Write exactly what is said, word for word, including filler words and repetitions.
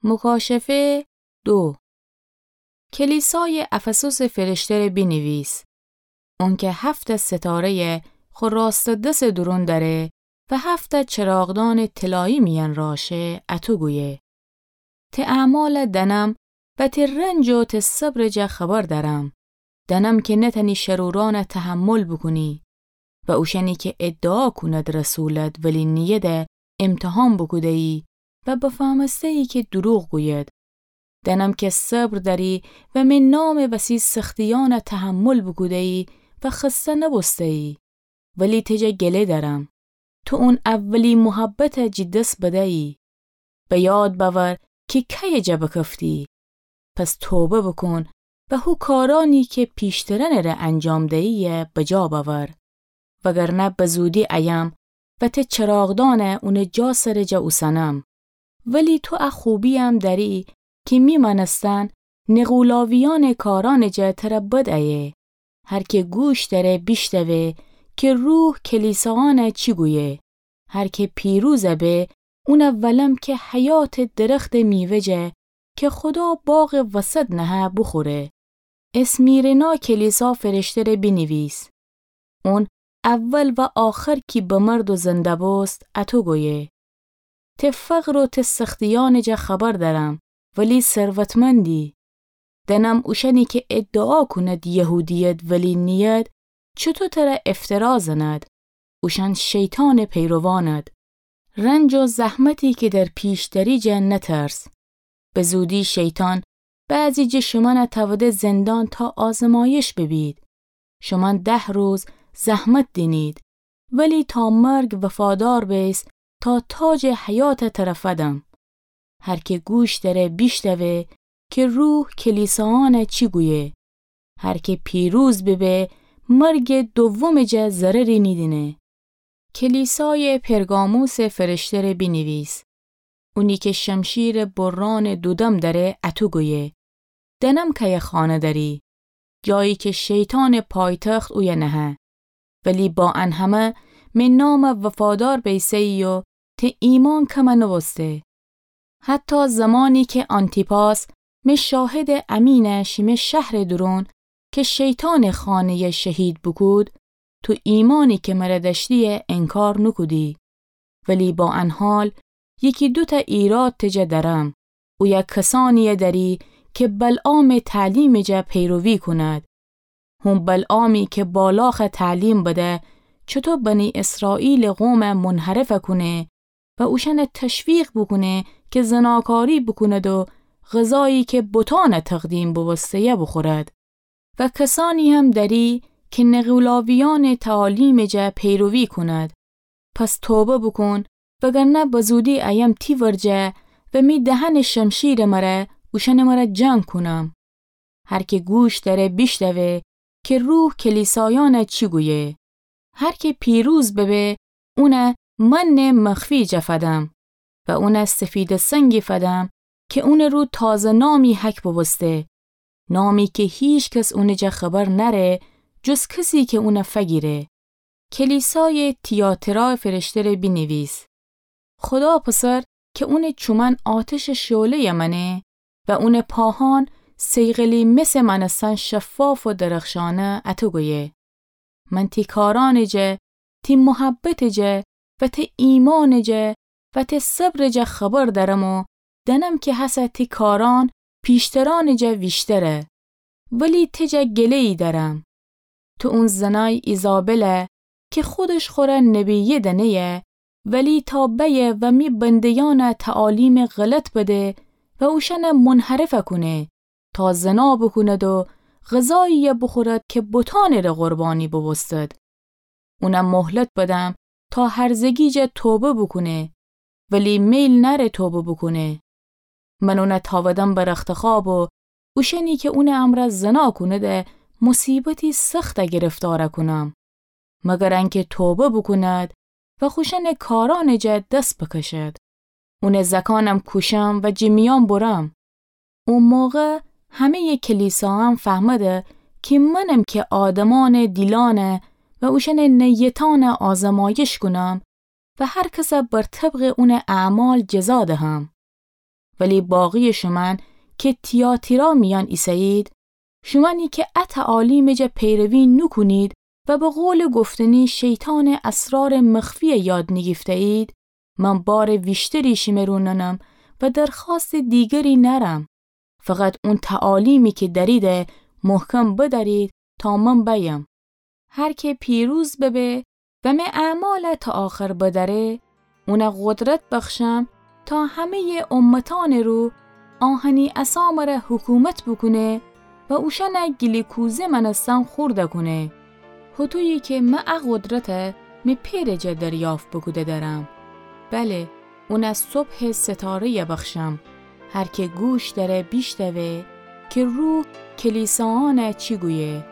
مکاشفه دو. کلیسای افسوسٚ فرشته‌ره بینیویس: اونکه هفته ستاره‌یه خو راستٚ دسٚ دورون دأره و هفته چراغدانٚ طلایی میأن راشه، اطو گویه: ته اعماله دأنم و ته رنج و ته صبرٚ جا خبر دأرم. دأنم که نتأنی شرورأنه تحمل بوکونی و اوشأنی که ادعا کونده رسولد ولی نییده، امتحان بوکوده‌یی و بفهمسته‌یی که دروغ گوید. دأنم که صبر دأری و می نامٚ وسی سختیأنه تحمل بوکوده‌یی و خسته نوبوسته‌یی. ولی ته جا گله دأرم، تو اون اولی محبته جی دس بده‌یی. به یاد بأور که کیه جا بکفتی. پس توبه بوکون و هو کارأنی که پیشترأنٚ ره انجام ده‌یی‌یه بجا بأور. وگرنه بزودی ایم و ته چراغدانه اونٚ جا سرٚ جا اوسنم. ولی تو ا خوبی‌یم دأری که می مأنستن نیقولاویأنٚ کارأنٚ جا تره بد ایه. هر که گوش دأره بیشتوه که روح کلیساأنه چی گویه. هر که پیروز به، اونه ولم که حیاتٚ درختٚ میوه جا که خودا باغٚ وسط نهه بوخوره. اسمیرنا کلیسا فرشته‌ره بینیویس: اون اول و آخر کی بمرد و زنده بوست، اطو گویه: ته فقر و ته سختیأنٚ جا خبر دأرم، ولی ثروتمندی. دأنم اوشأنی که ادعا کونید یهودی‌ید ولی نیید، چوطو تره افترا زند. اوشأن شیطانٚ پیروانید. رنج و زحمتی که در پیش دأری جا نترس. بزودی شیطان بعضی جٚه شومأنه تأوده زندان تا آزمایش ببید. شومأن ده روز زحمت دینید، ولی تا مرگ وفادار بیس تا تاجٚ حیات تره فدم. هر که گوش دأره بیشتوه که روح کلیساأنه چی گویه. هر که پیروز ببه، مرگٚ دومٚ جا ضرری نیدینه. کلیسایٚ پرگاموسٚ فرشته‌ره بینیویس: اونی که شمشیرٚ برانٚ دودم دأره، اطو گویه: دأنم کیه خانه دأری، جایی که شیطانٚ پایتخت اویه نهه. ولی با ان همه می نامه وفادار بیسه‌یی و ته ایمان کمه نوبوسته. حتی زمانی که آنتیپاس می شاهدٚ امینه شیمه شهرٚ دورون که شیطانٚ خانه‌یه شهید بوکود، تو ایمانی که مره دأشتی‌یه انکار نوکودی. ولی با ان حال یکی دوته ایراد ته جا دأرم. اویه کسانی‌یه دأری که بلعامٚ تعلیمٚ جا پیروی کونید. هون بلعامی که بالاخ تعلیم بده چوطو بنی اسرائیلٚ قومه منحرف کونه و اوشأنه تشویق بوکونه که زناکاری بوکونید و غذایی که بتأنه تقدیم بوبوسته‌یه بوخورید. و کسانی هم دأری که نیقولاویأنٚ تعالیمٚ جا پیروی کونید. پس توبه بوکون، وگرنه بزودی ایم تی ورجه و می دهنٚ شمشیرٚ مره اوشأنٚ مره جنگ کونم. هر که گوش دأره بیشتوه که روح کلیسایأنه چی گویه. هر که پیروز ببه، اونه منٚ مخفی جا فدم و اونه سفیدٚ سنگی فدم که اونٚ رو تازه نامی حک بوبوسته، نامی که هیکس اونٚ جا خبر نأره جز کسی که اونه فگیره. کلیسایٚ تیاتیرا فرشته‌ره بینیویس: خودا پسر که اونٚ چومأن آتشٚ شعله‌یٚ مأنه و اونٚ پاهأن صیقلی مسٚ مأنستن شفاف و درخشانه، اطو گویه: من تی کارأنٚ جا، تی محبتٚ جا و تی ایمأنٚ جا و تی صبرٚ جا خبر دأرم و دأنم که هسه تی کارأن پیشترأنٚ جا ویشتره. ولی تی جا گله‌یی دأرم. تو اون زنای ایزابله که خودش خوره نبیه دنه‌یه، ولی تا بأیه و می بنده‌یأنه تعالیمٚ غلط بده و اوشأنه منحرف کونه، تا زنا بوکوند و غذایی‌یه بوخورد که بتأنٚ ره قربانی بوبوستد. اونه مهلت بدم تا هرزگی جا توبه بوکونه، ولی میل نأره توبه بوکونه. من اونه تأودم به رختخواب و اوشأنی که اونٚ امرأ زنا کونده مصیبتی سخت گرفتار کونم، مگر انکه توبه بوکوند و خوشأنٚ کارأنٚ جا دس بکشد. اونٚ زأکأنم کوشم و جٚه میأن برم. او موقع همه‌یٚ کلیسایم فهمده که منم که آدمأنٚ دیلأنه و اوشأنٚ نیتأنه آزمایش کونم و هر کسه بر طبقٚ اونٚ اعمال جزا دهم. ولی باقیٚ شومأن کی تیاتیرا میأن ایسه‌یید، شومأنی کی ا تعالیمٚ جا پیروی نوکونید و به قولٚ گفتنی شیطانٚ اسرارٚ مخفی‌یَ یاد نیگیفته‌یید، من بارٚ ویشتری شیمه رو ننم و درخواستٚ دیگری نأرم. فقط اون تعالیمی کی دأریده محکم بدأرید تا من بأیم. هر کی پیروز ببه و می اعمالَ تا آخر بدأره، اونَ قدرت بخشم تا همه‌یٚ امتأنٚ رو آهنی عصا مره حکومت بوکونه و اوشأنَ گیلی کوزه مأنستن خورده کونه. هطویی کی من ا قدرتَ می پئرٚ جا دریافت بوکوده دأرم. بله، اونَ صبحٚ ستاره‌یَ بخشم. هر کی گوش دأره بیشنوه کی روح کلیسایأنَ چی گویه.